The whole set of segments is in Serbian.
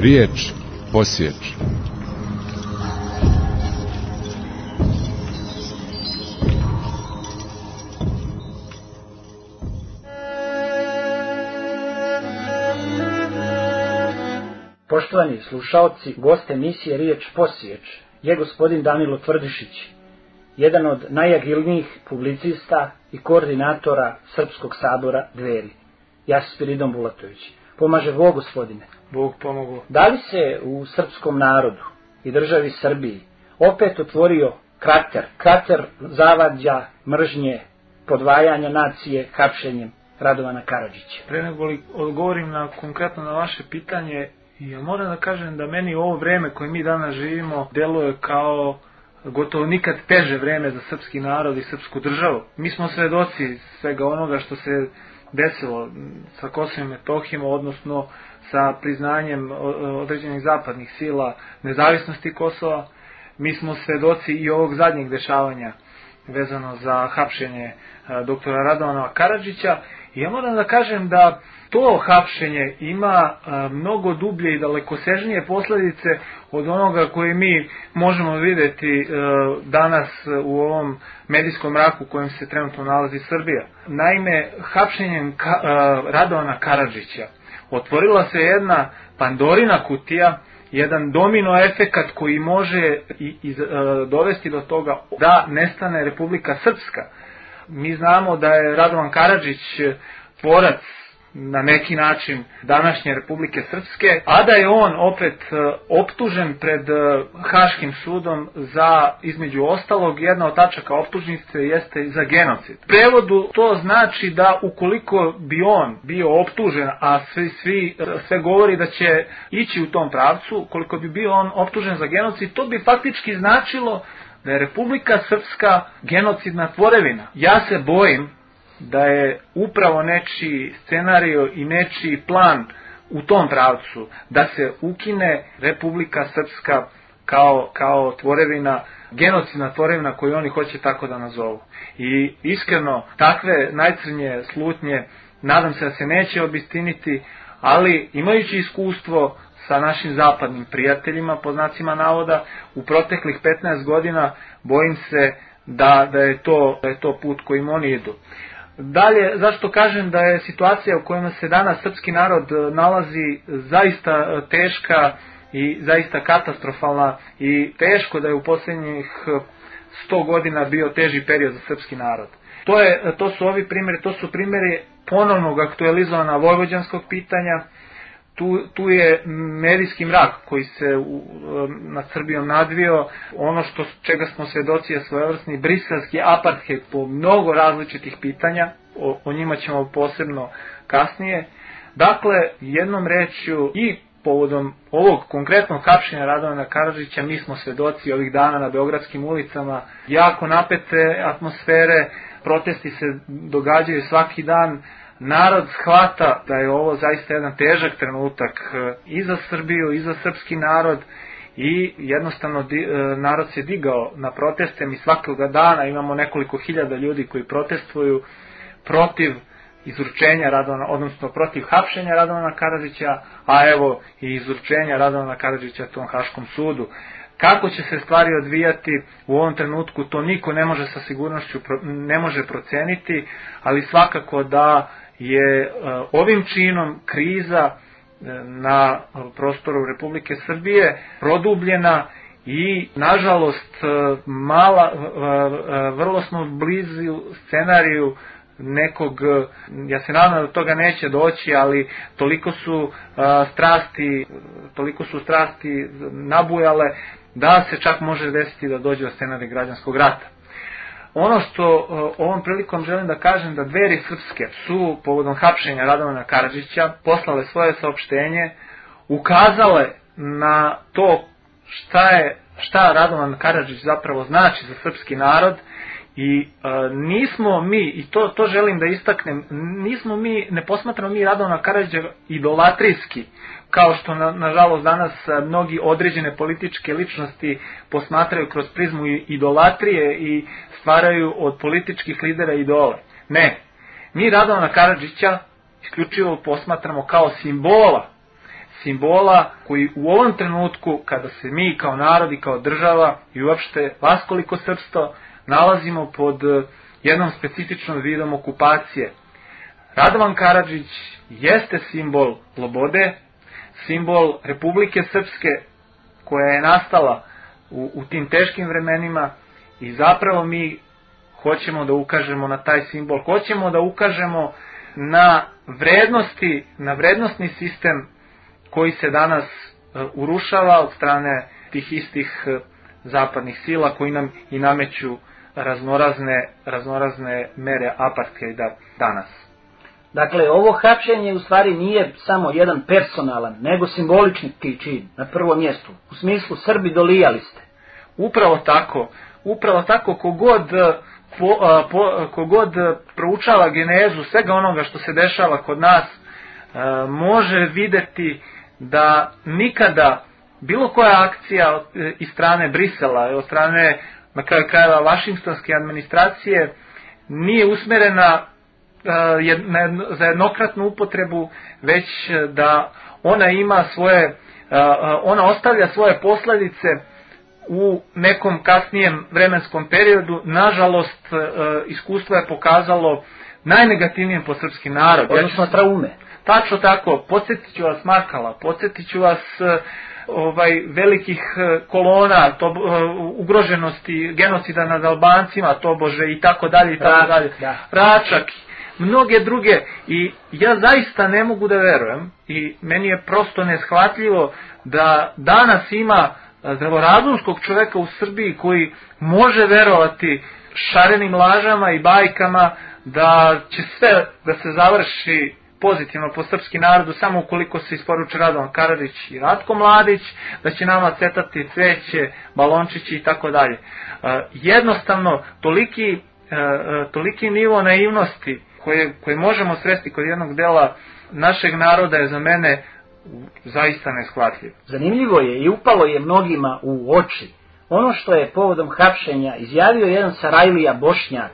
Riječ posjeći. Poštovani slušaoci, gost emisije Riječ posjeć je gospodin Danilo Tvrdišić, jedan od najagilnijih publicista i koordinatora Srpskog sabora Dveri. Ja sam Spiridon Bulatović. Pomaže Bog, gospodine. Bog pomogu. Da li se u srpskom narodu i državi Srbiji opet otvorio krater zavađa, mržnje, podvajanja nacije hapšenjem Radovana Karadžića? Pre nego li odgovorim konkretno na vaše pitanje, ja moram da kažem da meni ovo vreme koje mi danas živimo deluje kao gotovo nikad teže vreme za srpski narod i srpsku državu. Mi smo svedoci svega onoga što se desilo sa Kosovom i Metohijom, odnosno sa priznanjem određenih zapadnih sila nezavisnosti Kosova. Mi smo svedoci i ovog zadnjeg dešavanja vezano za hapšenje doktora Radovana Karadžića. I ja moram da kažem da to hapšenje ima mnogo dublje i dalekosežnije posljedice od onoga koje mi možemo vidjeti danas u ovom medijskom mraku u kojem se trenutno nalazi Srbija. Naime, hapšenjem Radovana Karadžića otvorila se jedna Pandorina kutija, jedan domino efekat koji može dovesti do toga da nestane Republika Srpska. Mi znamo da je Radovan Karadžić tvorac na neki način današnje Republike Srpske, a da je on opet optužen pred Haškim sudom za, između ostalog, jedna od tačaka optužnice jeste za genocid. U prevodu to znači da ukoliko bi on bio optužen, a sve govori da će ići u tom pravcu, ukoliko bi bio on optužen za genocid, to bi faktički značilo da je Republika Srpska genocidna tvorevina. Ja se bojim da je upravo nečiji scenario i nečiji plan u tom pravcu, da se ukine Republika Srpska kao tvorevina, genocidna tvorevina koju oni hoće tako da nazovu. I iskreno, takve najcrnje slutnje nadam se da se neće obistiniti, ali imajući iskustvo sa našim zapadnim prijateljima, po znacima navoda, u proteklih 15 godina bojim se da je to put kojim oni idu. Dalje, zašto kažem da je situacija u kojoj se danas srpski narod nalazi zaista teška i zaista katastrofalna i teško da je u posljednjih 100 godina bio teži period za srpski narod. To su ovi primjeri, to su primjeri ponovnog aktualizovana vojvođanskog pitanja. Tu je medijski mrak koji se nad Srbijom nadvio, ono čega smo svedoci je svojevrsni briselski apartheid po mnogo različitih pitanja, o njima ćemo posebno kasnije. Dakle, jednom rečju i povodom ovog konkretnog hapšenja Radovana Karadžića mi smo svedoci ovih dana na beogradskim ulicama jako napete atmosfere, protesti se događaju svaki dan. Narod shvata da je ovo zaista jedan težak trenutak i za Srbiju i za srpski narod i jednostavno narod se digao na proteste. Mi svakoga dana imamo nekoliko hiljada ljudi koji protestuju protiv izručenja Radovana, odnosno protiv hapšenja Radovana Karadžića, a evo i izručenja Radovana Karadžića tom Haškom sudu. Kako će se stvari odvijati u ovom trenutku, to niko ne može sa sigurnošću ne može proceniti, ali svakako da je ovim činom kriza na prostoru Republike Srbije produbljena i nažalost vrlo smo blizu scenariju nekog, ja se nadam da toga neće doći, ali toliko su strasti nabujale da se čak može desiti da dođe do scenarija građanskog rata. Ono što ovom prilikom želim da kažem da Dveri srpske su povodom hapšenja Radovana Karadžića poslale svoje saopštenje, ukazale na to šta Radovan Karadžić zapravo znači za srpski narod i nismo mi, i to želim da istaknem, ne posmatramo mi Radovana Karadžića idolatrijski, kao što nažalost danas mnogi određene političke ličnosti posmatraju kroz prizmu idolatrije i stvaraju od političkih lidera idole. Ne, mi Radovana Karadžića isključivo posmatramo kao simbola koji u ovom trenutku, kada se mi kao narod i kao država i uopšte vaskoliko srpstvo nalazimo pod jednom specifičnom vidom okupacije. Radovan Karadžić jeste simbol slobode, simbol Republike Srpske koja je nastala u tim teškim vremenima i zapravo mi hoćemo da ukažemo na taj simbol, hoćemo da ukažemo na vrednosti, na vrednostni sistem koji se danas urušava od strane tih istih zapadnih sila koji nam i nameću raznorazne mere apartheida danas. Dakle, ovo hapšenje u stvari nije samo jedan personalan, nego simbolični čin na prvom mjestu. U smislu Srbi dolijali ste. Upravo tako kogod proučava genezu svega onoga što se dešava kod nas, može vidjeti da nikada bilo koja akcija iz strane Brisela, od strane na kraju krajeva vašingtonske administracije nije usmjerena za jednokratnu upotrebu, već da ona ostavlja svoje posljedice u nekom kasnijem vremenskom periodu. Nažalost, iskustvo je pokazalo najnegativnijem po srpski narod. Odnosno traume. Tačno tako, podsjetit ću vas Markala, podsjetit ću vas velikih kolona, ugroženosti, genocida nad Albancima, tobože i tako dalje i tako dalje. Račak, mnoge druge, i ja zaista ne mogu da verujem i meni je prosto neshvatljivo da danas ima zdravorazumskog čoveka u Srbiji koji može verovati šarenim lažama i bajkama da će sve da se završi pozitivno po srpski narodu samo ukoliko se isporuče Radovan Karadžić i Ratko Mladić, da će nama cvetati cveće, balončići i tako dalje. Jednostavno, toliki nivo naivnosti koje možemo sresti kod jednog dela našeg naroda je za mene zaista neshvatljiv. Zanimljivo je i upalo je mnogima u oči ono što je povodom hapšenja izjavio jedan Sarajlija Bošnjak,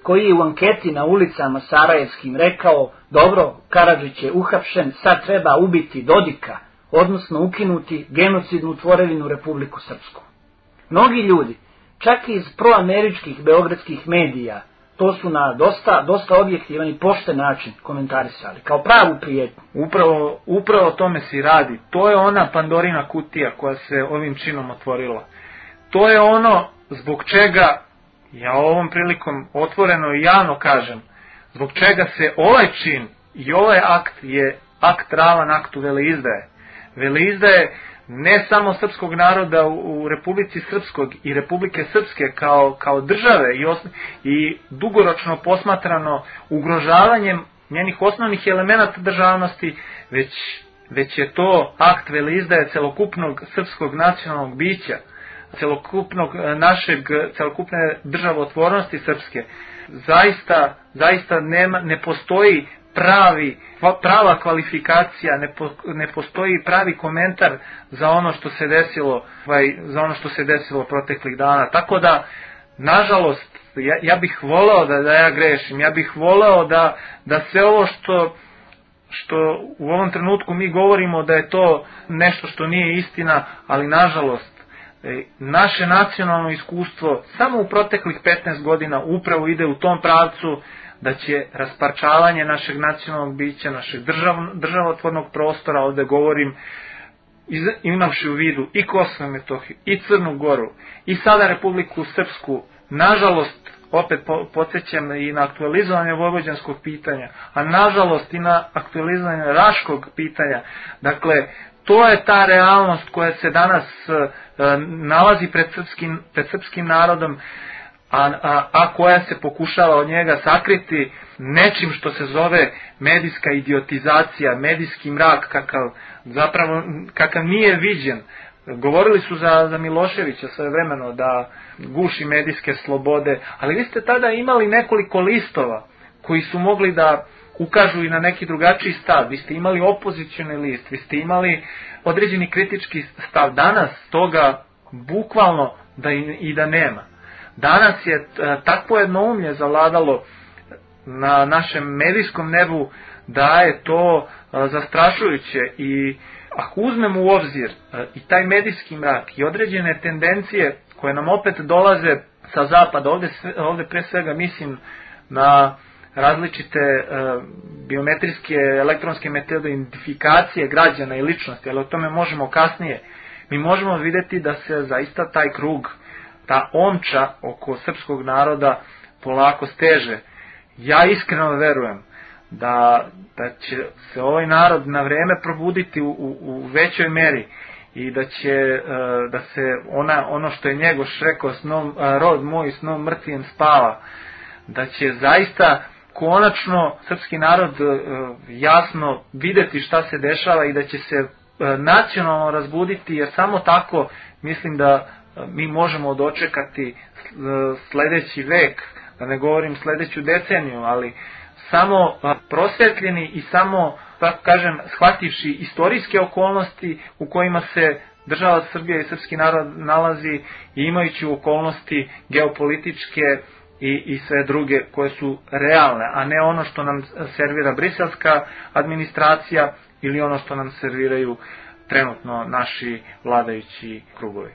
koji je u anketi na ulicama sarajevskim rekao: dobro, Karadžić je uhapšen, sad treba ubiti Dodika, odnosno ukinuti genocidnu tvorevinu Republiku Srpsku. Mnogi ljudi, čak i iz proameričkih beogradskih medija, to su na dosta objektivan i pošten način komentarisali, kao pravu prijetnju. Upravo tome se radi. To je ona Pandorina kutija koja se ovim činom otvorila. To je ono zbog čega, ja ovom prilikom otvoreno i javno kažem, zbog čega se ovaj čin i ovaj akt je akt ravan aktu veleizdaje. Veleizdaje ne samo srpskog naroda u Republici Srpskog i Republike Srpske kao države i dugoročno posmatrano ugrožavanjem njenih osnovnih elemenata državnosti, već je to akt veleizdaje celokupnog srpskog nacionalnog bića, celokupne državotvornosti srpske. Zaista ne postoji prava kvalifikacija, ne postoji pravi komentar za ono što se desilo proteklih dana. Tako da, nažalost, ja bih voleo da ja grešim, ja bih voleo da sve ovo što u ovom trenutku mi govorimo da je to nešto što nije istina, ali nažalost naše nacionalno iskustvo samo u proteklih 15 godina upravo ide u tom pravcu da će rasparčavanje našeg nacionalnog bića, našeg državotvornog prostora, ovdje govorim, imavši u vidu i Kosovo i Metohiju, i Crnu Goru, i sada Republiku Srpsku, nažalost, opet podsjećam i na aktualizovanje vojvođanskog pitanja, a nažalost i na aktualizovanje raškog pitanja. Dakle, to je ta realnost koja se danas nalazi pred srpskim narodom, a koja se pokušava od njega sakriti nečim što se zove medijska idiotizacija, medijski mrak kakav nije viđen. Govorili su za Miloševića svojevremeno da guši medijske slobode, ali vi ste tada imali nekoliko listova koji su mogli da ukažu i na neki drugačiji stav. Vi ste imali opozicioni list, vi ste imali određeni kritički stav. Danas toga bukvalno da nema. Danas je takvo jednoumlje zavladalo na našem medijskom nebu da je to zastrašujuće i Ako uzmemo u obzir i taj medijski mrak i određene tendencije koje nam opet dolaze sa zapada, ovdje pre svega mislim na različite biometrijske elektronske metode identifikacije građana i ličnosti, ali o tome možemo kasnije, mi možemo vidjeti da se zaista taj krug, ta omča oko srpskog naroda polako steže. Ja iskreno verujem da će se ovaj narod na vrijeme probuditi u većoj meri i da se ono što je Njegoš rekao, rod moj snom mrtvijem spava, da će zaista konačno srpski narod jasno vidjeti šta se dešava i da će se nacionalno razbuditi, jer samo tako mislim da mi možemo dočekati sljedeći vek, da ne govorim sljedeću deceniju, ali samo prosvetljeni i samo, tako kažem, shvativši istorijske okolnosti u kojima se država Srbija i srpski narod nalazi i imajući okolnosti geopolitičke i sve druge koje su realne, a ne ono što nam servira briselska administracija ili ono što nam serviraju trenutno naši vladajući krugovi.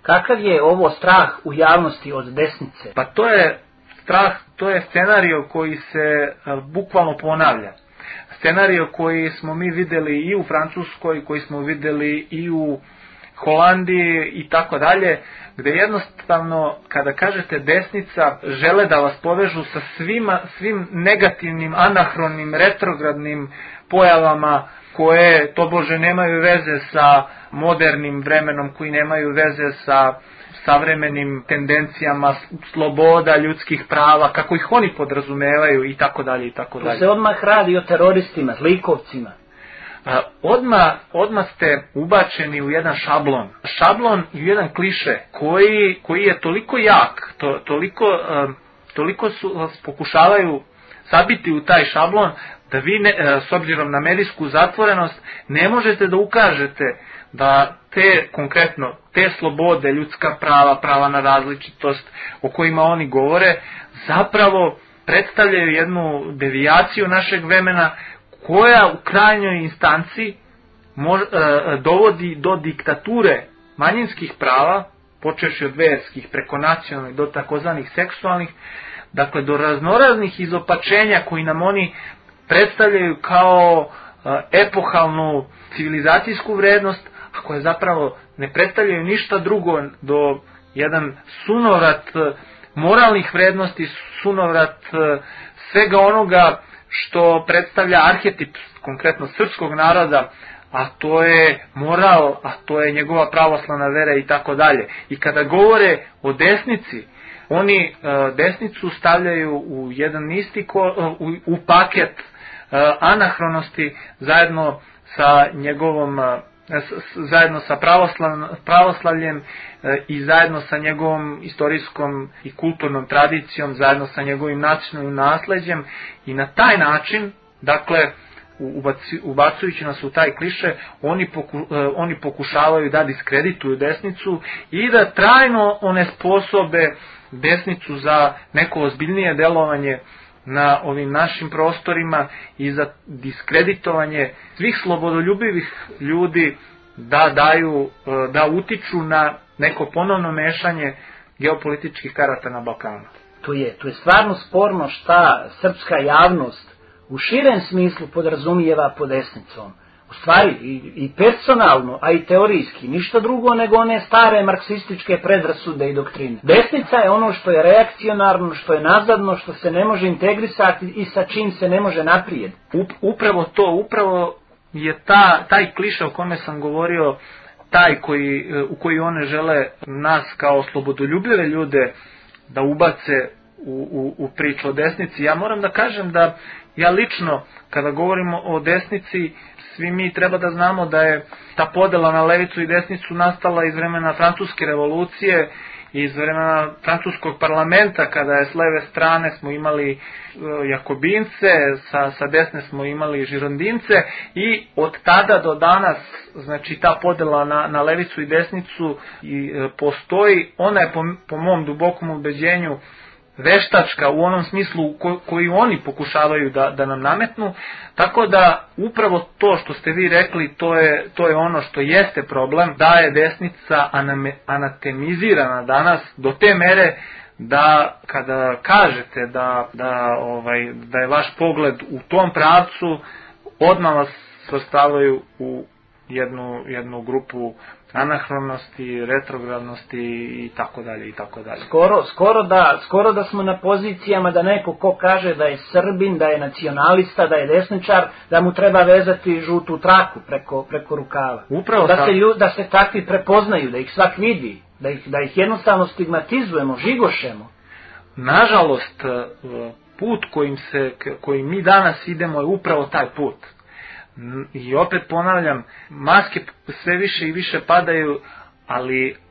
Kakav je ovo strah u javnosti od desnice? Pa to je strah, to je scenario koji se bukvalno ponavlja. Scenario koji smo mi vidjeli i u Francuskoj, koji smo vidjeli i u Holandiji i tako dalje, gdje jednostavno kada kažete desnica žele da vas povežu sa svim negativnim, anahronim, retrogradnim pojavama koje tobože nemaju veze sa modernim vremenom, koji nemaju veze sa savremenim tendencijama sloboda, ljudskih prava, kako ih oni podrazumevaju i tako dalje i tako dalje. Tu se odmah radi o teroristima, zlikovcima. Odmah ste ubačeni u jedan šablon i u jedan kliše koji je toliko jak, toliko vas pokušavaju sabiti u taj šablon da vi s obzirom na medijsku zatvorenost ne možete da ukažete da te slobode, ljudska prava na različitost o kojima oni govore zapravo predstavljaju jednu devijaciju našeg vremena koja u krajnjoj instanci dovodi do diktature manjinskih prava, počevši od verskih preko nacionalnih do takozvanih seksualnih, dakle do raznoraznih izopačenja koji nam oni predstavljaju kao epohalnu civilizacijsku vrednost, a koje zapravo ne predstavljaju ništa drugo do jedan sunovrat moralnih vrednosti, sunovrat svega onoga što predstavlja arhetip konkretno srpskog naroda, a to je moral, a to je njegova pravoslavna vera i tako dalje. I kada govore o desnici, oni desnicu stavljaju u jedan isti u paket anahronosti zajedno sa njegovom zajedno sa pravoslavljem i zajedno sa njegovom istorijskom i kulturnom tradicijom, zajedno sa njegovim nacionalnim nasleđem, i na taj način, dakle, ubacujući nas u taj kliše, oni pokušavaju da diskredituju desnicu i da trajno onesposobe desnicu za neko ozbiljnije delovanje na ovim našim prostorima i za diskreditovanje svih slobodoljubivih ljudi da utiču na neko ponovno mešanje geopolitičkih karata na Balkanu. Tu je stvarno sporno šta srpska javnost u širem smislu podrazumijeva pod desnicom. U stvari i personalno, a i teorijski, ništa drugo nego one stare marksističke predrasude i doktrine. Desnica je ono što je reakcionarno, što je nazadno, što se ne može integrisati i sa čim se ne može naprijed. Upravo je taj kliše o kome sam govorio, u koji one žele nas kao slobodoljubive ljude da ubace u priču o desnici. Ja moram da kažem da ja lično, kada govorimo o desnici, svi mi treba da znamo da je ta podela na levicu i desnicu nastala iz vremena Francuske revolucije, iz vremena francuskog parlamenta, kada je s leve strane smo imali Jakobince, sa desne smo imali Žirondince, i od tada do danas, znači ta podela na levicu i desnicu postoji. Ona je po mom dubokom ubeđenju veštačka u onom smislu koji oni pokušavaju da nam nametnu, tako da upravo to što ste vi rekli, to je ono što jeste problem, da je desnica anatemizirana danas do te mere da kada kažete da je vaš pogled u tom pravcu, odmah vas svrstavaju u jednu grupu anahronosti, retrogradnosti i tako dalje i tako dalje. Skoro da smo na pozicijama da neko ko kaže da je Srbin, da je nacionalista, da je desničar, da mu treba vezati žutu traku preko rukava. Upravo da se takvi prepoznaju, da ih svak vidi, da ih jednostavno stigmatizujemo, žigošemo. Nažalost, put kojim mi danas idemo je upravo taj put. I opet ponavljam, maske sve više i više padaju,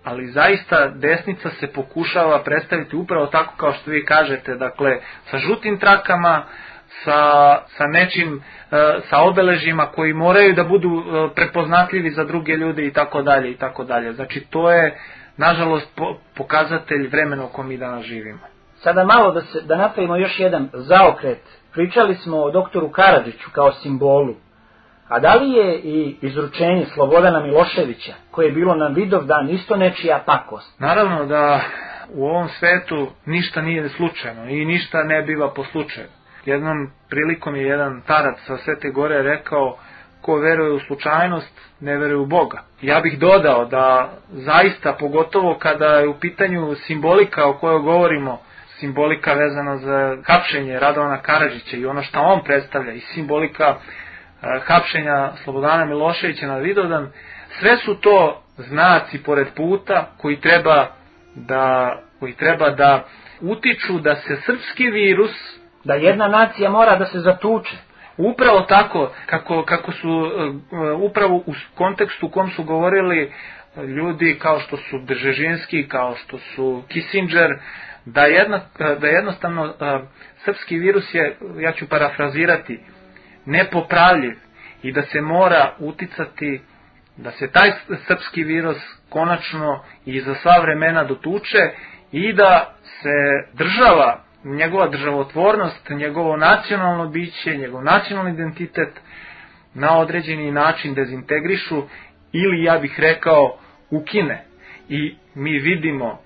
ali zaista desnica se pokušava predstaviti upravo tako kao što vi kažete, dakle sa žutim trakama, sa nečim, sa obeležjima koji moraju da budu prepoznatljivi za druge ljude i tako dalje i tako dalje. Znači to je nažalost pokazatelj vremena u kojem mi danas živimo. Sada malo da napravimo još jedan zaokret. Pričali smo o doktoru Karadžiću kao simbolu. A da li je i izručenje Slobodana Miloševića, koje je bilo na Vidovdan, isto nečija pakost? Naravno da u ovom svetu ništa nije slučajno i ništa ne biva po slučaju. Jednom prilikom je jedan starac sa Svete Gore rekao: ko veruje u slučajnost, ne veruje u Boga. Ja bih dodao da zaista, pogotovo kada je u pitanju simbolika o kojoj govorimo, simbolika vezana za hapšenje Radovana Karadžića i ono što on predstavlja, i simbolika hapšenja Slobodana Miloševića na Vidovdan, sve su to znaci pored puta koji treba da utiču da se srpski virus, da jedna nacija mora da se zatuče. Upravo tako, kako su upravo u kontekstu u kom su govorili ljudi kao što su Bžežinski, kao što su Kissinger, da jednostavno srpski virus je, ja ću parafrazirati, nepopravljiv i da se mora uticati da se taj srpski virus konačno i za sva vremena dotuče i da se država, njegova državotvornost, njegovo nacionalno biće, njegov nacionalni identitet na određeni način dezintegrišu ili, ja bih rekao, ukine. I mi vidimo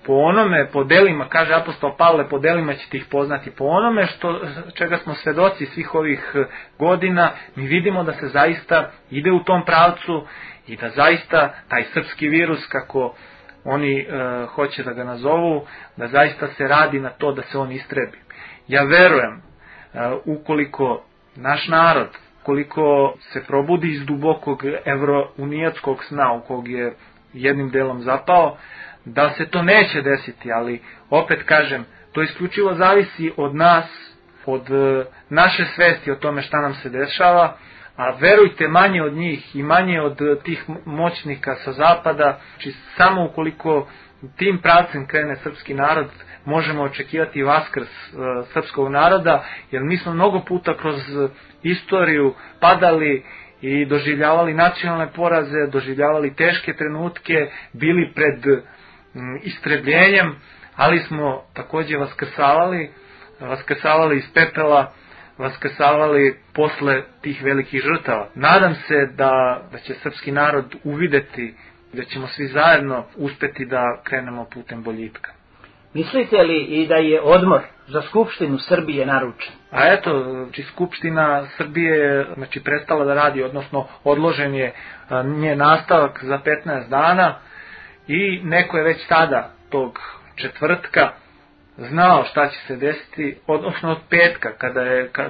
po delima, kaže apostol Pavle, po delima ćete ih poznati, po onome čega smo svedoci svih ovih godina, mi vidimo da se zaista ide u tom pravcu i da zaista taj srpski virus, kako oni hoće da ga nazovu, da zaista se radi na to da se on istrebi. Ja verujem, ukoliko naš narod, koliko se probudi iz dubokog evrounijatskog sna u kog je jednim delom zapao, da se to neće desiti, ali opet kažem, to isključivo zavisi od nas, od naše svesti o tome šta nam se dešava, a verujte, manje od njih i manje od tih moćnika sa zapada, znači samo ukoliko tim pravcem krene srpski narod, možemo očekivati vaskrs srpskog naroda, jer mi smo mnogo puta kroz istoriju padali i doživljavali nacionalne poraze, doživljavali teške trenutke, bili pred istrebljenjem, ali smo takođe vaskrsavali iz pepela, vaskrsavali posle tih velikih žrtava. Nadam se da će srpski narod uvideti, da ćemo svi zajedno uspeti da krenemo putem boljitka. Mislite li i da je odmor za Skupštinu Srbije naručen? A eto, Skupština Srbije je prestala da radi, odnosno odložen je njen nastavak za 15 dana i neko je već tada, tog četvrtka, znao šta će se desiti, odnosno od petka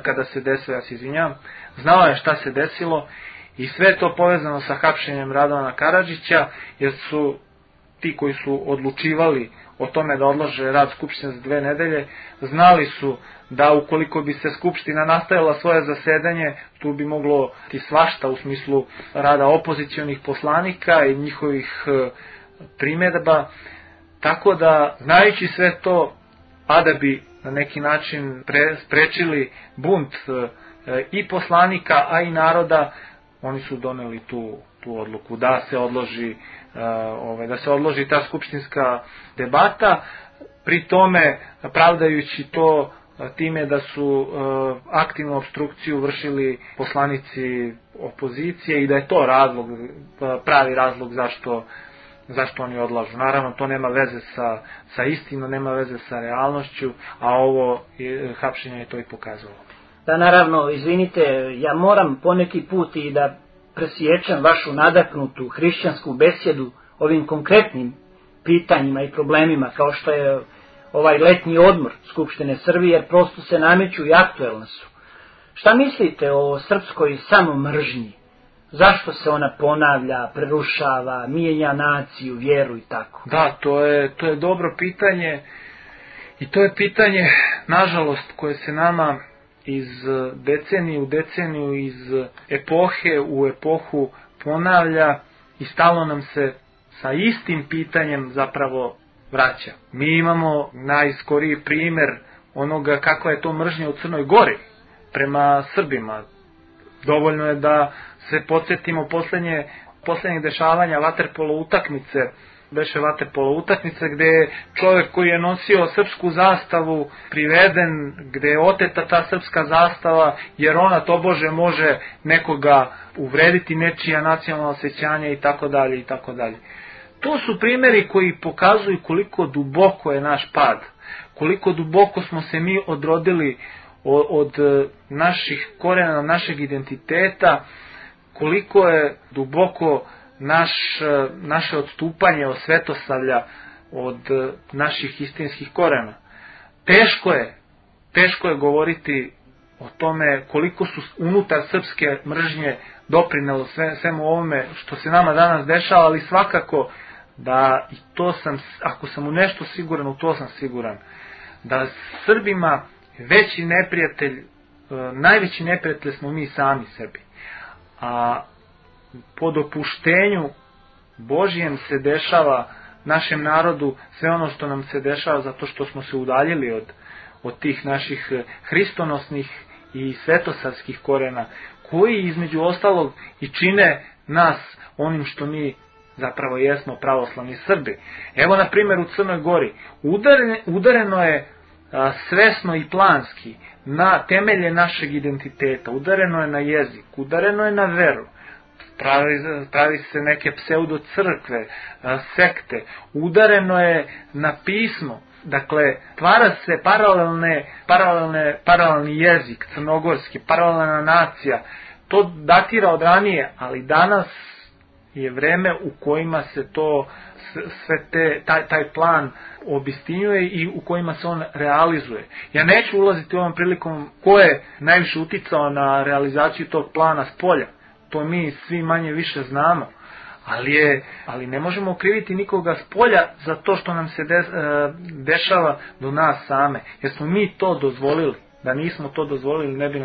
kada se desilo, ja se izvinjavam, znao je šta se desilo i sve to povezano sa hapšenjem Radovana Karadžića, jer su ti koji su odlučivali o tome da odlože rad Skupštine za 2 nedelje, znali su da ukoliko bi se Skupština nastavila svoje zasedanje, tu bi moglo ti svašta u smislu rada opozicionih poslanika i njihovih primjedba, tako da, znajući sve to, a da bi na neki način sprečili bunt i poslanika, a i naroda, oni su doneli tu odluku da se odloži ta skupštinska debata. pri tome pravdajući to time da su aktivnu opstrukciju vršili poslanici opozicije i da je to razlog, pravi razlog zašto oni odlažu. Naravno, to nema veze sa istinom, nema veze sa realnošću, a ovo hapšenje je to i pokazalo. Da, naravno, izvinite, ja moram poneki put i da presječem vašu nadahnutu hrišćansku besjedu ovim konkretnim pitanjima i problemima, kao što je ovaj letnji odmor Skupštine Srbije, jer prosto se nameću i aktuelna su. Šta mislite o srpskoj samomržnji? Zašto se ona ponavlja, prerušava, mijenja naciju, vjeru i tako? Da, to je dobro pitanje i to je pitanje, nažalost, koje se nama iz decenije u deceniju, iz epohe u epohu ponavlja i stalno nam se sa istim pitanjem zapravo vraća. Mi imamo najskoriji primjer onoga kakva je to mržnja u Crnoj Gori prema Srbima. Dovoljno je da se podsjetimo poslednjeg dešavanja vaterpolo utakmice, beše vaterpolo utakmice gdje je čovjek koji je nosio srpsku zastavu priveden, gdje je oteta ta srpska zastava jer ona tobože može nekoga uvrediti, nečija nacionalna osjećanja i tako dalje i tako dalje. To su primjeri koji pokazuju koliko duboko je naš pad, koliko duboko smo se mi odrodili od naših korena, našeg identiteta, koliko je duboko naše odstupanje od svetosavlja, od naših istinskih korena. Teško je govoriti o tome koliko su unutar srpske mržnje doprinelo svemu ovome što se nama danas dešava, ali svakako da i to sam, ako sam u nešto siguran, u to sam siguran, da Srbima veći neprijatelj, najveći neprijatelj smo mi sami sebi. A po dopuštenju Božijem se dešava našem narodu sve ono što nam se dešava zato što smo se udaljili od tih naših hristonosnih i svetosavskih korena, koji između ostalog i čine nas onim što mi zapravo jesmo, pravoslavni Srbi. Evo na primjer u Crnoj Gori udareno je svesno i planski na temelje našeg identiteta, udareno je na jezik, udareno je na veru, pravi se neke pseudo crkve, sekte, udareno je na pismo, dakle stvara se paralelni jezik crnogorski, paralelna nacija. To datira od ranije, ali danas je vreme u kojima se to taj plan obistinjuje i u kojima se on realizuje. Ja neću ulaziti ovom prilikom ko je najviše uticao na realizaciju tog plana s polja. To mi svi manje više znamo. Ali ne možemo okriviti nikoga s polja za to što nam se dešava do nas same. Jer smo mi to dozvolili. Da nismo to dozvolili ne bi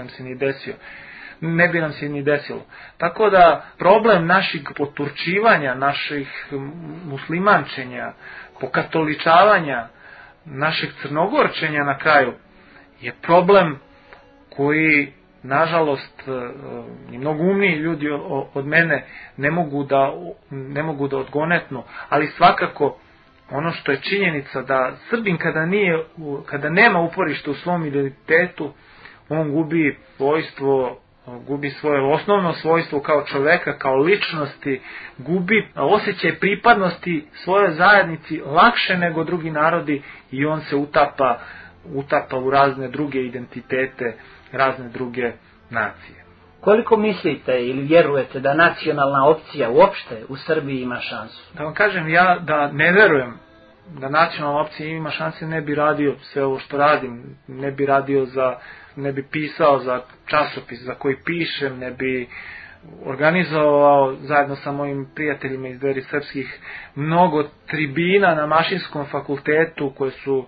nam se ni desilo. Tako da problem našeg poturčivanja, naših muslimančenja, pokatoličavanja, našeg crnogorčenja na kraju je problem koji nažalost i mnogo umniji ljudi od mene ne mogu da odgonetnu, ali svakako ono što je činjenica da Srbin kada nema uporište u svom identitetu, on gubi svojstvo, gubi svoje osnovno svojstvo kao čoveka, kao ličnosti, gubi osjećaj pripadnosti svojoj zajednici lakše nego drugi narodi i on se utapa u razne druge identitete, razne druge nacije. Koliko mislite ili vjerujete da nacionalna opcija uopšte u Srbiji ima šansu? Da vam kažem, ja da ne verujem da nacionalna opcija ima šanse, ne bi radio sve ovo što radim, ne bi pisao za časopis za koji pišem, ne bi organizovao zajedno sa mojim prijateljima iz Dveri srpskih mnogo tribina na Mašinskom fakultetu koje su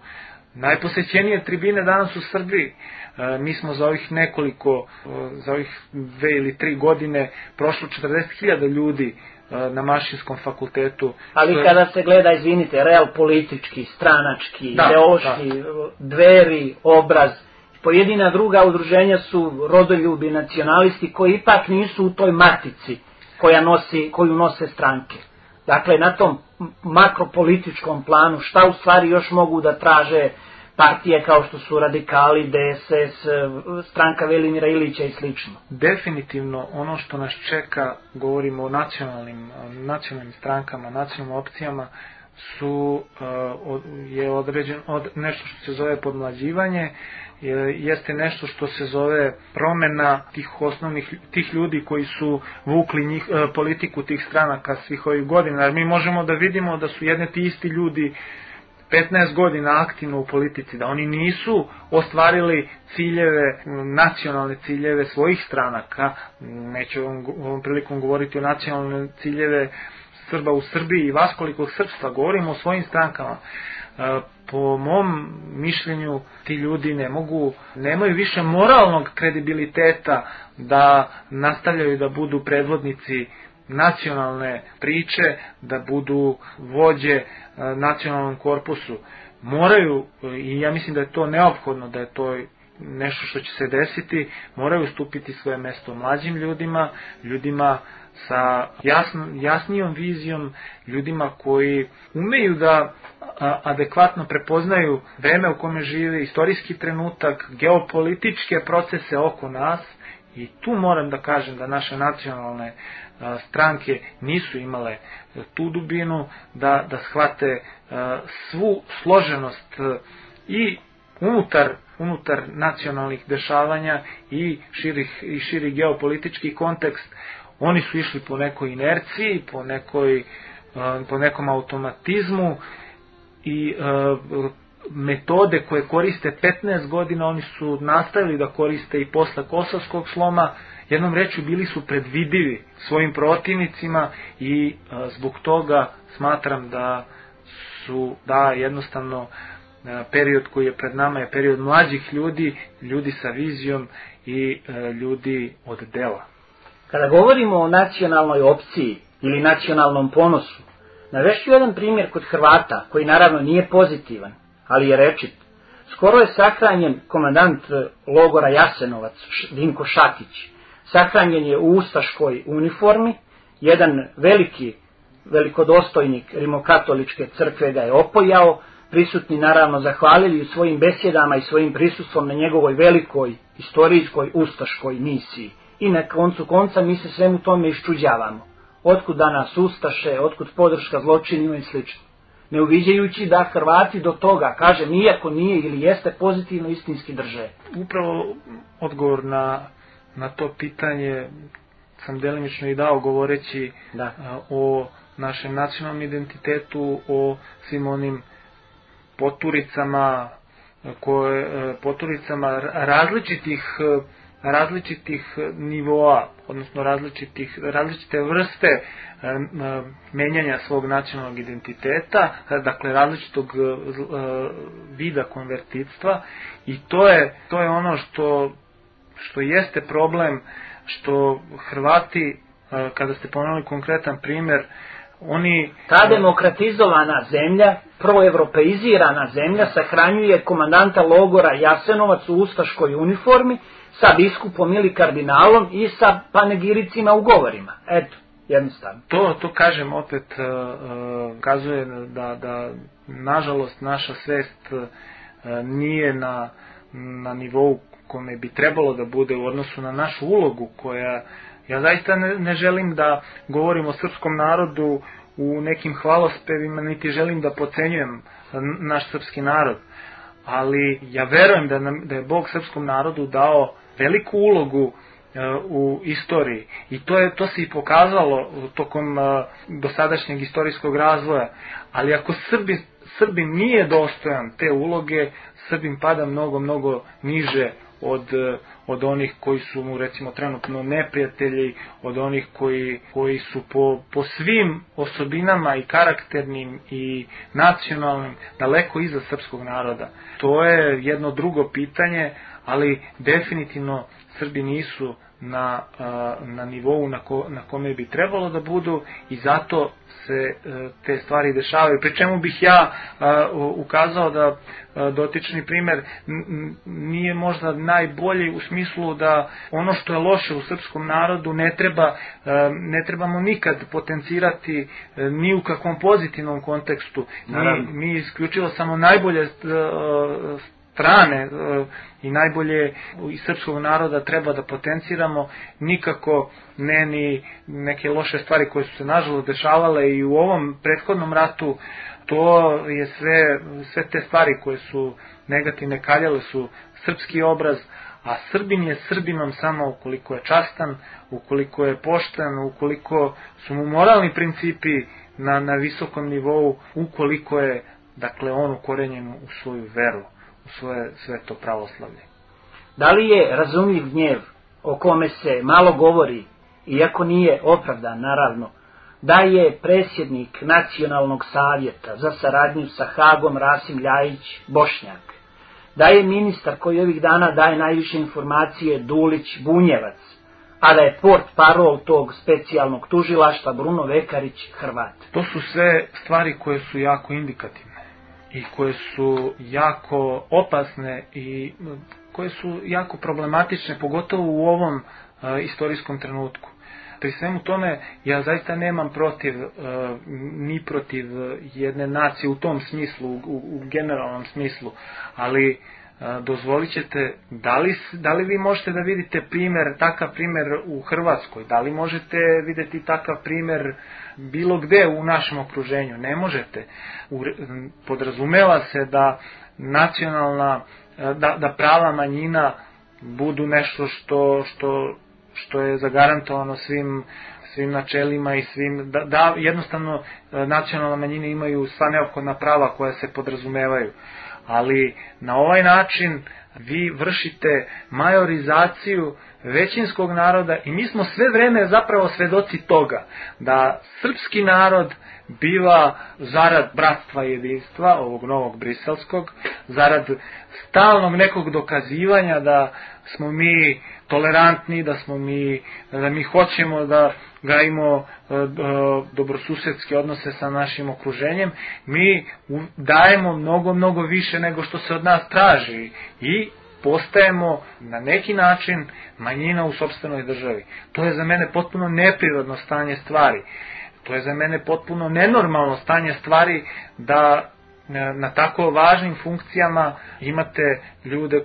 najposećenije tribine danas u Srbiji. Mi smo za ovih 2 ili 3 godine prošlo 40.000 ljudi na Mašinskom fakultetu. Ali kada se gleda, izvinite, real politički, stranački, ideološki, Dveri, Obraz, pojedina druga udruženja su rodoljubi, nacionalisti koji ipak nisu u toj matici koju nose stranke. Dakle, na tom makropolitičkom planu šta u stvari još mogu da traže partije kao što su radikali, DSS, stranka Velimira Ilića i slično? Definitivno ono što nas čeka, govorimo o nacionalnim strankama, nacionalnim opcijama, je nešto što se zove podmlađivanje, jeste nešto što se zove promjena tih ljudi koji su vukli politiku tih stranaka svih ovih godina. Jer mi možemo da vidimo da su jedne ti isti ljudi 15 godina aktivno u politici, da oni nisu ostvarili nacionalne ciljeve svojih stranaka. Neću ovom prilikom govoriti o nacionalne ciljeve Srba u Srbiji i vaskolikog srpstva, govorimo o svojim strankama. Po mom mišljenju ti ljudi nemaju više moralnog kredibiliteta da nastavljaju da budu predvodnici nacionalne priče, da budu vođe nacionalnom korpusu. Moraju, i ja mislim da je to neophodno, da je to nešto što će se desiti, moraju stupiti svoje mesto mlađim ljudima sa jasnijom vizijom, ljudima koji umeju da adekvatno prepoznaju vreme u kome žive, istorijski trenutak, geopolitičke procese oko nas. I tu moram da kažem da naše nacionalne stranke nisu imale tu dubinu da shvate svu složenost i unutar nacionalnih dešavanja i širi geopolitički kontekst. Oni su išli po nekoj inerciji, po nekom automatizmu i metode koje koriste 15 godina oni su nastavili da koriste i posle Kosovskog sloma. Jednom rečju bili su predvidivi svojim protivnicima i zbog toga smatram da jednostavno period koji je pred nama je period mlađih ljudi sa vizijom i ljudi od dela. Kada govorimo o nacionalnoj opciji ili nacionalnom ponosu, navešću jedan primjer kod Hrvata, koji naravno nije pozitivan, ali je rečit. Skoro je sahranjen komandant logora Jasenovac, Dinko Šatić. Sahranjen je u ustaškoj uniformi, jedan velikodostojnik rimokatoličke crkve ga je opojao, prisutni naravno zahvalili u svojim besjedama i svojim prisustvom na njegovoj velikoj istorijskoj ustaškoj misiji. I na koncu konca mi se svemu tome iščuđavamo. Otkud danas ustaše, otkud podrška zločinima i slično. Ne uviđajući da Hrvati do toga, kažem, iako nije ili jeste pozitivno, istinski drže. Upravo odgovor na to pitanje sam delimično i dao govoreći o našem nacionalnom identitetu, o svim onim poturicama različitih nivoa, odnosno različite vrste menjanja svog nacionalnog identiteta, dakle različitog vida konvertitstva, i to je ono što jeste problem, što Hrvati, kada ste pomenuli konkretan primjer, ta demokratizovana zemlja, proevropeizirana zemlja, sahranjuje komandanta logora Jasenovac u ustaškoj uniformi sa biskupom ili kardinalom i sa panegiricima u govorima. Eto, jednostavno. To kažem opet, kazuje da nažalost naša svest nije na nivou kome bi trebalo da bude u odnosu na našu ulogu koja... Ja zaista ne želim da govorim o srpskom narodu u nekim hvalospevima, niti želim da potcenjujem naš srpski narod. Ali ja verujem da je Bog srpskom narodu dao veliku ulogu u istoriji. I to se i pokazalo tokom dosadašnjeg istorijskog razvoja. Ali ako Srbin nije dostojan te uloge, Srbin pada mnogo niže od onih koji su mu recimo trenutno neprijatelji, od onih koji su po svim osobinama i karakternim i nacionalnim daleko iza srpskog naroda. To je jedno drugo pitanje, ali definitivno Srbi nisu na nivou na kome bi trebalo da budu i zato se te stvari dešavaju. Pri čemu bih ja ukazao da dotični primer nije možda najbolji u smislu da ono što je loše u srpskom narodu ne trebamo nikad potencirati ni u kakvom pozitivnom kontekstu. Mi isključivo samo najbolje strane i najbolje iz srpskog naroda treba da potenciramo, nikako ne ni neke loše stvari koje su se nažalost dešavale i u ovom prethodnom ratu. To je sve te stvari koje su negativne kaljale su srpski obraz, a Srbin je Srbinom samo ukoliko je častan, ukoliko je pošten, ukoliko su mu moralni principi na visokom nivou, ukoliko je dakle on ukorenjen u svoju veru, u svoje sveto pravoslavlje. Da li je razumljiv gnjev o kome se malo govori, iako nije opravdan naravno, da je predsjednik Nacionalnog savjeta za saradnju sa Hagom Rasim Ljajić Bošnjak, da je ministar koji ovih dana daje najviše informacije Dulić Bunjevac, a da je port parol tog specijalnog tužilaštva Bruno Vekarić Hrvat? To su sve stvari koje su jako indikativne i koje su jako opasne i koje su jako problematične, pogotovo u ovom istorijskom trenutku. Pri svemu tome ja zaista nemam ni protiv jedne nacije u tom smislu, u generalnom smislu, ali dozvolit ćete, da li vi možete da vidite takav primjer u Hrvatskoj, da li možete vidjeti takav primjer bilo gde u našem okruženju? Ne možete. Podrazumeva se da da prava manjina budu nešto što je zagarantovano svim načelima i da jednostavno nacionalne manjine imaju sva neophodna prava koja se podrazumevaju. Ali na ovaj način vi vršite majorizaciju većinskog naroda i mi smo sve vreme zapravo svedoci toga da srpski narod biva zarad bratstva i jedinstva, ovog novog briselskog, zarad stalnog nekog dokazivanja da smo mi tolerantni, da mi hoćemo da gajimo dobrosusedske odnose sa našim okruženjem, mi dajemo mnogo više nego što se od nas traži i postajemo na neki način manjina u sopstvenoj državi. To je za mene potpuno neprirodno stanje stvari. To je za mene potpuno nenormalno stanje stvari da na tako važnim funkcijama imate ljude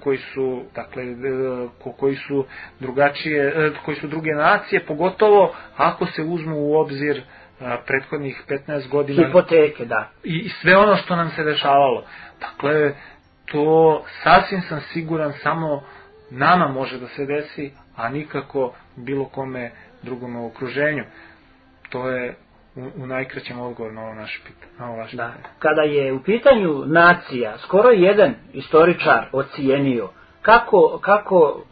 koji su drugačije, koji su druge nacije, pogotovo ako se uzmu u obzir prethodnih 15 godina hipoteke, da. I sve ono što nam se dešavalo. Dakle, to sasvim sam siguran samo nama može da se desi, a nikako bilo kome drugome u okruženju. To je u najkraćem odgovor na ovo naše pitanje. Kada je u pitanju nacija, skoro jedan istoričar ocijenio kako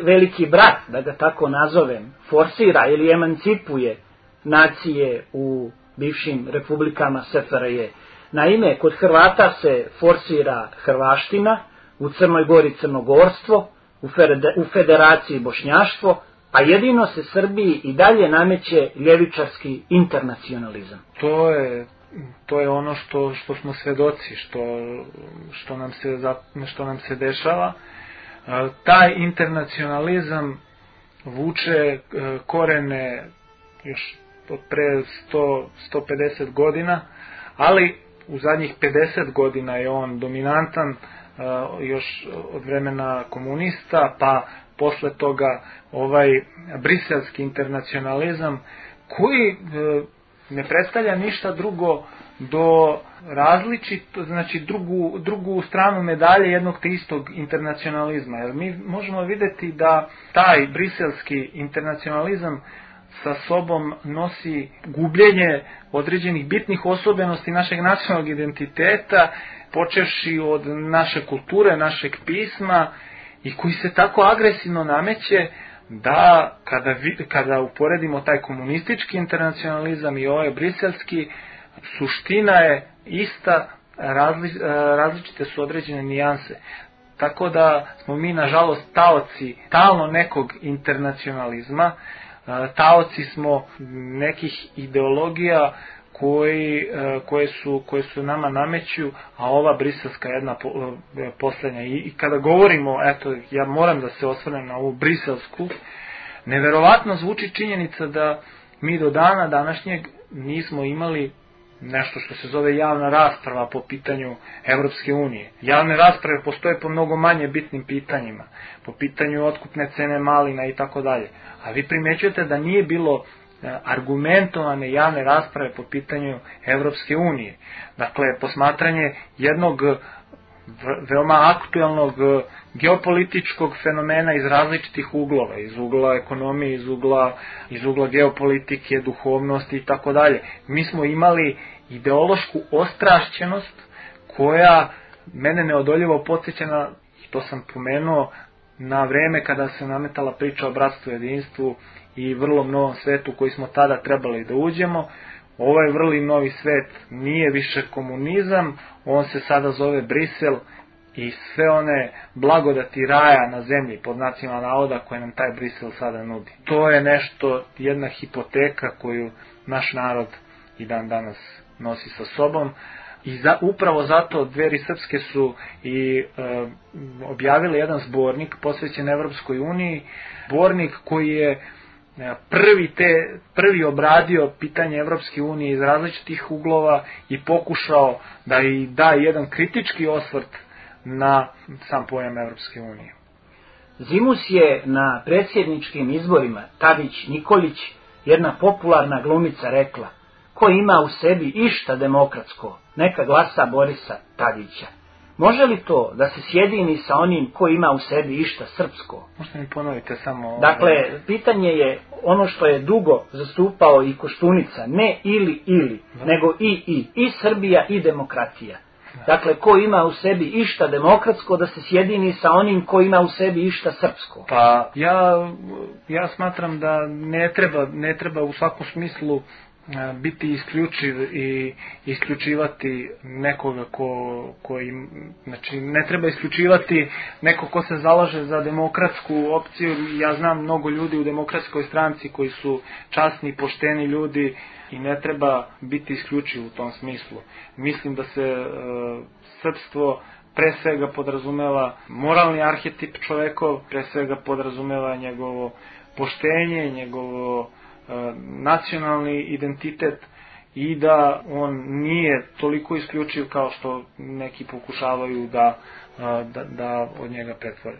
veliki brat, da ga tako nazovem, forsira ili emancipuje nacije u bivšim republikama SFRJ. Naime, kod Hrvata se forsira hrvaština, u Crnoj Gori crnogorstvo, u Federaciji bošnjaštvo, a jedino se Srbiji i dalje nameće ljevičarski internacionalizam. To je ono što smo svedoci, što nam se dešava. Taj internacionalizam vuče korene još od pre 150 godina, ali u zadnjih 50 godina je on dominantan još od vremena komunista, pa posle toga ovaj briselski internacionalizam koji ne predstavlja ništa drugo do različito, znači drugu stranu medalje jednog te istog internacionalizma. Jer mi možemo vidjeti da taj briselski internacionalizam sa sobom nosi gubljenje određenih bitnih osobenosti našeg nacionalnog identiteta, počevši od naše kulture, našeg pisma, i koji se tako agresivno nameće da kada uporedimo taj komunistički internacionalizam i ovaj briselski, suština je ista, različite su određene nijanse. Tako da smo mi nažalost taoci stalno nekog internacionalizma, taoci smo nekih ideologija koje su nama nameću, a ova briselska jedna poslednja. I kada govorimo, eto, ja moram da se osvrnem na ovu briselsku, neverovatno zvuči činjenica da mi do dana današnjeg nismo imali nešto što se zove javna rasprava po pitanju Evropske unije. Javne rasprave postoje po mnogo manje bitnim pitanjima, po pitanju otkupne cene malina i tako dalje. A vi primećujete da nije bilo argumentovane javne rasprave po pitanju Evropske unije. Dakle, posmatranje jednog veoma aktuelnog geopolitičkog fenomena iz različitih uglova, iz ugla ekonomije, iz ugla geopolitike, duhovnosti i tako dalje. Mi smo imali ideološku ostrašćenost koja mene neodoljivo podsjeća, i to sam pomenuo, na vreme kada se nametala priča o bratstvu i jedinstvu i vrlo novom svetu koji smo tada trebali da uđemo. Ovaj vrli novi svet nije više komunizam, on se sada zove Brisel i sve one blagodati raja na zemlji, pod znacima navoda, koje nam taj Brisel sada nudi. To je nešto, jedna hipoteka koju naš narod i dan danas nosi sa sobom. I upravo zato Dveri srpske su i objavili jedan zbornik posvećen Evropskoj uniji, zbornik koji je prvi obradio pitanje Evropske unije iz različitih uglova i pokušao da i da jedan kritički osvrt na sam pojam Evropske unije. Zimus je na predsjedničkim izborima Tadić Nikolić, jedna popularna glumica, rekla: ko ima u sebi išta demokratsko, neka glasa Borisa Tadića. Može li to da se sjedini sa onim ko ima u sebi išta srpsko? Možete mi ponovite samo... Dakle, pitanje je ono što je dugo zastupao i Koštunica, ne ili, nego i Srbija i demokratija. Dakle, ko ima u sebi išta demokratsko, da se sjedini sa onim ko ima u sebi išta srpsko. Pa, ja smatram da ne treba u svakom smislu biti isključiv i isključivati nekoga koji, znači ne treba isključivati neko ko se zalaže za demokratsku opciju. Ja znam mnogo ljudi u demokratskoj stranci koji su časni, pošteni ljudi i ne treba biti isključiv u tom smislu. Mislim da se srpstvo pre svega podrazumeva moralni arhetip čovekov, pre svega podrazumeva njegovo poštenje, njegovo nacionalni identitet i da on nije toliko isključiv kao što neki pokušavaju da od njega pretvore.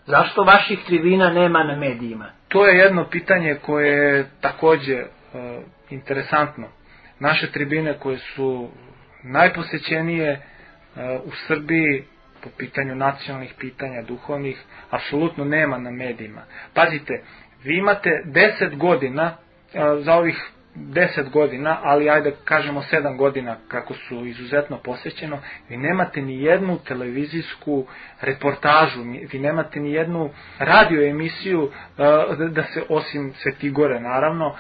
Zašto vaših tribina nema na medijima? To je jedno pitanje koje je takođe interesantno. Naše tribine koje su najposećenije u Srbiji po pitanju nacionalnih pitanja, duhovnih, apsolutno nema na medijima. Pazite, vi imate 10 godina, za ovih 10 godina, ali ajde kažemo 7 godina kako su izuzetno posećeno, vi nemate ni jednu televizijsku reportažu, vi nemate ni jednu radio emisiju, da se, osim Svetigore naravno,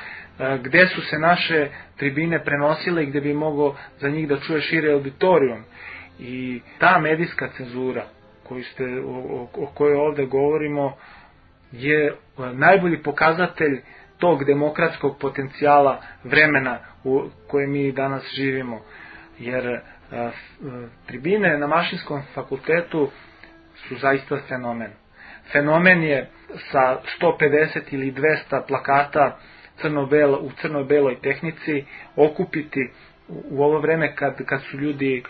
gde su se naše tribine prenosile i gde bi mogao za njih da čuje širi auditorijum. I ta medijska cenzura o kojoj ovde govorimo je najbolji pokazatelj tog demokratskog potencijala vremena u kojem mi danas živimo. Jer tribine na Mašinskom fakultetu su zaista fenomen. Fenomen je sa 150 ili 200 plakata u crno-beloj tehnici okupiti u ovo vreme kad su ljudi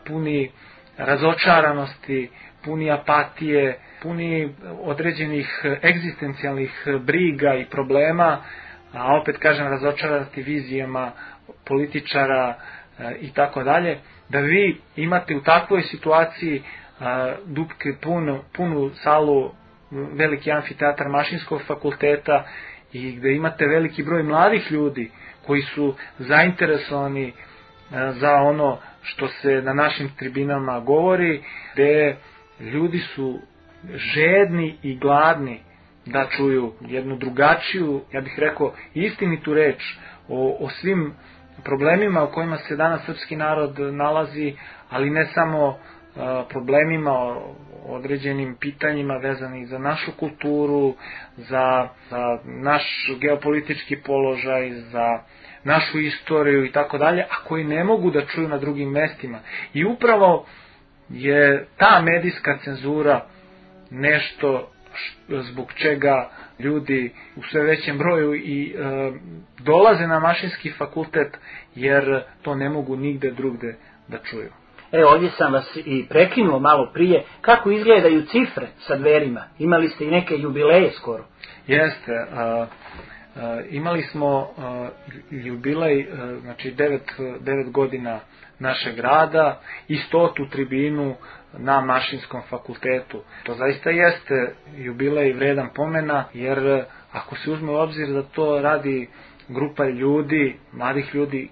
puni razočaranosti, puni apatije, puni određenih egzistencijalnih briga i problema, a opet kažem razočarati vizijama političara i tako dalje, da vi imate u takvoj situaciji dupke punu salu, veliki amfiteatar Mašinskog fakulteta i gde imate veliki broj mladih ljudi koji su zainteresovani za ono što se na našim tribinama govori, gde ljudi su žedni i gladni da čuju jednu drugačiju, ja bih rekao, istinitu reč o svim problemima u kojima se danas srpski narod nalazi, ali ne samo problemima, o određenim pitanjima vezanih za našu kulturu, za naš geopolitički položaj, za našu istoriju i tako dalje, a koji ne mogu da čuju na drugim mestima. I upravo je ta medijska cenzura nešto zbog čega ljudi u sve većem broju i dolaze na mašinski fakultet, jer to ne mogu nigde drugde da čuju. Ovdje sam vas i prekinuo malo prije. Kako izgledaju cifre sa Dverima? Imali ste i neke jubileje skoro. Jeste. Imali smo jubilej, znači 9 godina našeg rada i 100. tribinu na Mašinskom fakultetu. To zaista jeste jubilej vredan pomena, jer ako se uzme u obzir da to radi grupa ljudi, mladih ljudi,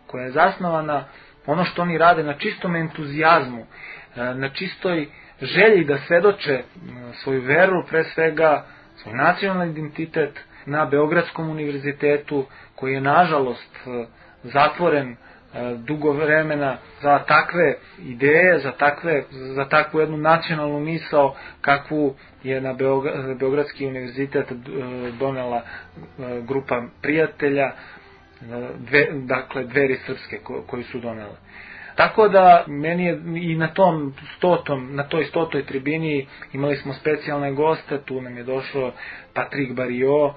koja je zasnovana, ono što oni rade na čistom entuzijazmu, na čistoj želji da svedoče svoju veru, pre svega svoj nacionalni identitet, na Beogradskom univerzitetu, koji je nažalost zatvoren dugo vremena za takve ideje, za takvu jednu nacionalnu misao kakvu je na Beogradski univerzitet donela grupa prijatelja, dakle Dveri srpske koji su donele. Tako da meni je i na toj 100. tribini imali smo specijalne goste, tu nam je došao Patrick Barillot,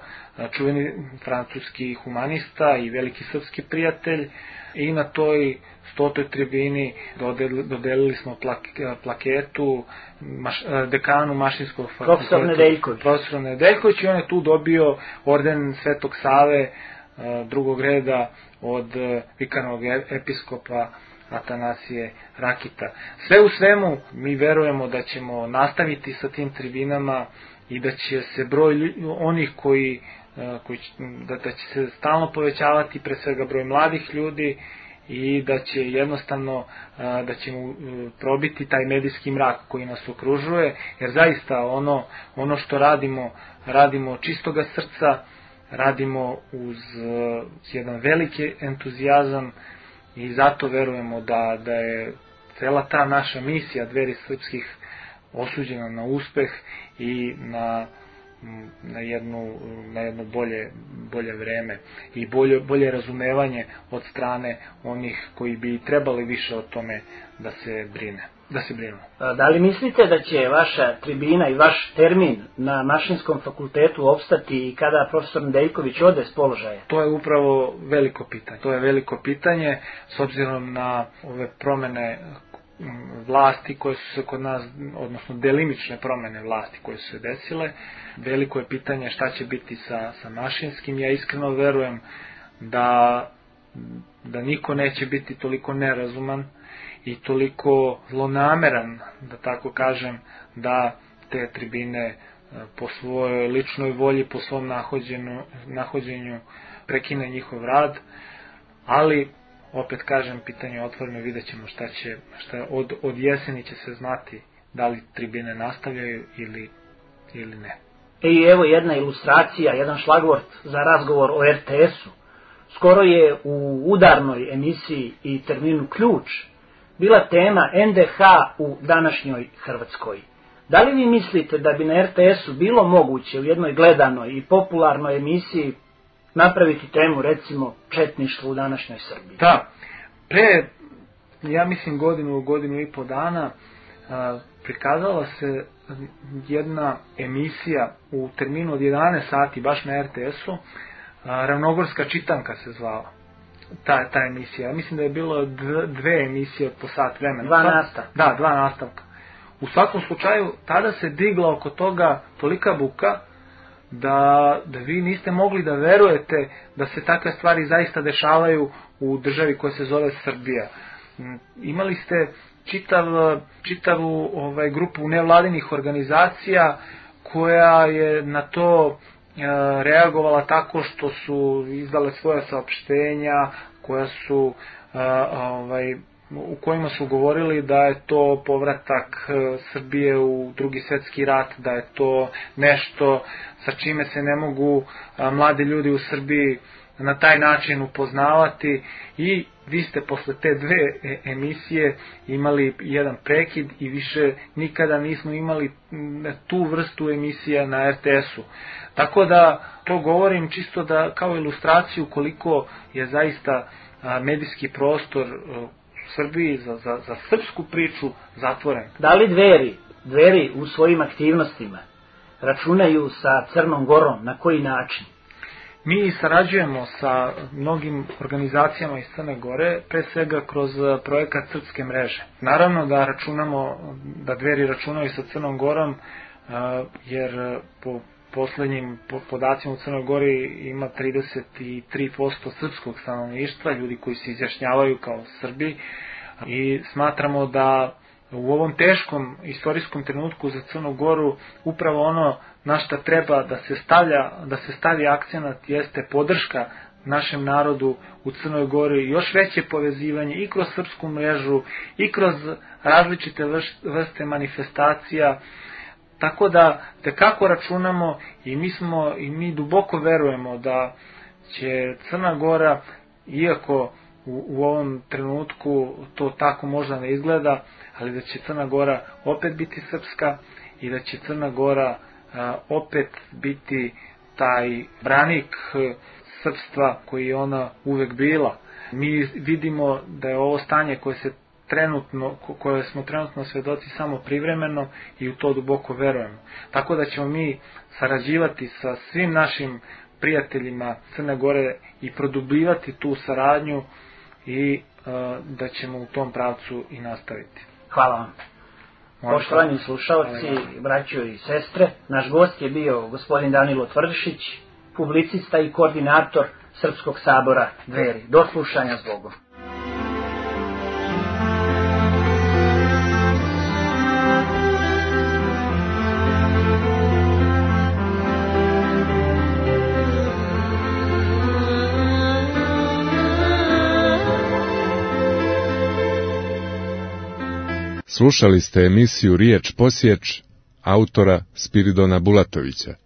čuveni francuski humanista i veliki srpski prijatelj, i na toj 100. tribini dodelili smo plaketu dekanu Mašinskog fakulteta, profesor Nedeljković, i on je tu dobio orden Svetog Save drugog reda od vikarnog episkopa Atanasije Rakita. Sve u svemu mi verujemo da ćemo nastaviti sa tim tribinama i da će se broj onih da će se stalno povećavati, pre svega broj mladih ljudi, i da će jednostavno da ćemo probiti taj medijski mrak koji nas okružuje, jer zaista ono što radimo čistoga srca, radimo uz jedan veliki entuzijazam, i zato verujemo da je cela ta naša misija Dveri srpskih osuđena na uspeh i na jedno bolje vreme i bolje razumevanje od strane onih koji bi trebali više o tome da se brinu. Da li mislite da će vaša tribina i vaš termin na Mašinskom fakultetu opstati i kada profesor Nedeljković ode s položaja? To je upravo veliko pitanje. To je veliko pitanje s obzirom na ove promene vlasti koje su se kod nas, odnosno delimične promene vlasti koje su se desile. Veliko je pitanje šta će biti sa Mašinskim. Ja iskreno verujem da niko neće biti toliko nerazuman i toliko zlonameran, da tako kažem, da te tribine po svojoj ličnoj volji, po svom nahođenju prekine njihov rad, ali opet kažem, pitanje je otvoreno, vidjet ćemo šta od jeseni će se znati da li tribine nastavljaju ili ne. I evo jedna ilustracija, jedan šlagvort za razgovor o RTS-u. Skoro je u udarnoj emisiji i terminu Ključ bila tema NDH u današnjoj Hrvatskoj. Da li vi mislite da bi na RTS-u bilo moguće u jednoj gledanoj i popularnoj emisiji napraviti temu, recimo, četništvo u današnjoj Srbiji? Da, pre, ja mislim godinu i po dana, prikazala se jedna emisija u terminu od 11 sati, baš na RTS-u, Ravnogorska čitanka se zvala. Ta emisija. Ja mislim da je bilo 2 emisije po sat vremena. 2 nastavka. Da, 2 nastavka. U svakom slučaju, tada se digla oko toga tolika buka da vi niste mogli da verujete da se takve stvari zaista dešavaju u državi koja se zove Srbija. Imali ste čitavu grupu nevladinih organizacija koja je na to reagovala tako što su izdale svoja saopštenja koja su u kojima su govorili da je to povratak Srbije u Drugi svjetski rat, da je to nešto sa čime se ne mogu mladi ljudi u Srbiji na taj način upoznavati i vi ste posle te dve emisije imali jedan prekid i više nikada nismo imali tu vrstu emisija na RTS-u. Tako da to govorim čisto da kao ilustraciju koliko je zaista medijski prostor u Srbiji za srpsku priču zatvoren. Da li Dveri u svojim aktivnostima računaju sa Crnom Gorom, na koji način? Mi sarađujemo sa mnogim organizacijama iz Crne Gore, pre svega kroz projekat Srpske mreže. Naravno da da Dveri računaju sa Crnom Gorom, jer po poslednjim podacima u Crnoj Gori ima 33% srpskog stanovništva, ljudi koji se izjašnjavaju kao Srbi, i smatramo da u ovom teškom istorijskom trenutku za Crnu Goru upravo ono na šta treba da se stavi akcenat jeste podrška našem narodu u Crnoj Gori, još veće povezivanje i kroz srpsku mrežu i kroz različite vrste manifestacija. Tako da tekako računamo i mi duboko verujemo da će Crna Gora, iako u ovom trenutku to tako možda ne izgleda, ali da će Crna Gora opet biti srpska i da će Crna Gora opet biti taj branik srpstva koji je ona uvek bila. Mi vidimo da je ovo stanje koje smo trenutno svedoci samo privremeno i u to duboko verujemo. Tako da ćemo mi sarađivati sa svim našim prijateljima Crne Gore i produbljivati tu saradnju i da ćemo u tom pravcu i nastaviti. Hvala vam. Poštovani slušalci, braćo i sestre, naš gost je bio gospodin Danilo Tvrdišić, publicista i koordinator Srpskog sabora Dveri. Do slušanja s Bogom. Slušali ste emisiju Riječ posječ autora Spiridona Bulatovića.